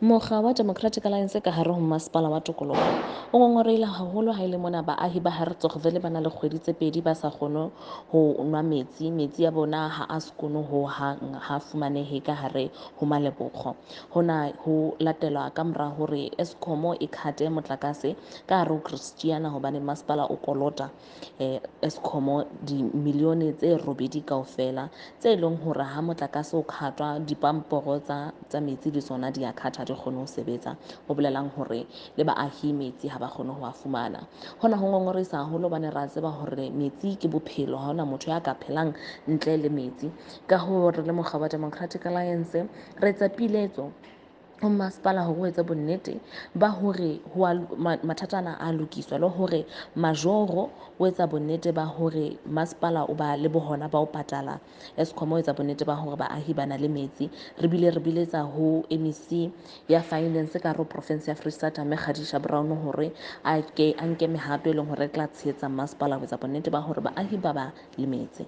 Mokga wa Democratic Alliance ka hare ho Masepala wa Tokoloho o ngongorehile haholo ha e le mona baahi ba Hertzogville ba na le kgwedi tse pedi ba sa kgone ho nwa metsi. Metsi a bona ha a sekono hohang, ha fumanehe ka hare ho Malebokgo. Hona ho latelwa ka mora hore Eskom e cut-e motlakase ka hare ho Christiana hobane masepala o kolota Eskom dimilione tse robedi kaofela, tse leng hore ha motlakase o cut-wa dipamporo tsa metsi le tsona di a cut-a, ha di kgone ho sebetsa. Ho bolelang hore le baahi metsi ha ba kgone ho a fumana. Hona ho ngongorehisa haholo hobane re a tseba hore metsi ke bophelo, ha hona motho ya ka phelang ntle le metsi. Ka hoo re le mokga wa Democratic Alliance re etsa piletso ho masepala hore o etse bonnete ba hore mathata ana a lokiswa, le hore majoro o etsa bonnete ba hore masepala o ba le bohona ba ho patala Eskom, o etsa bonnete ba hore baahi ba na le metsi. Re bile re biletsa ho MEC ya finance ka hare ho province ya Freistata, mme Khadija Brown, hore a ke a nke mehato e leng hore e tla tshehetsa masepala ho etsa bonnete ba hore baahi ba ba le metsi.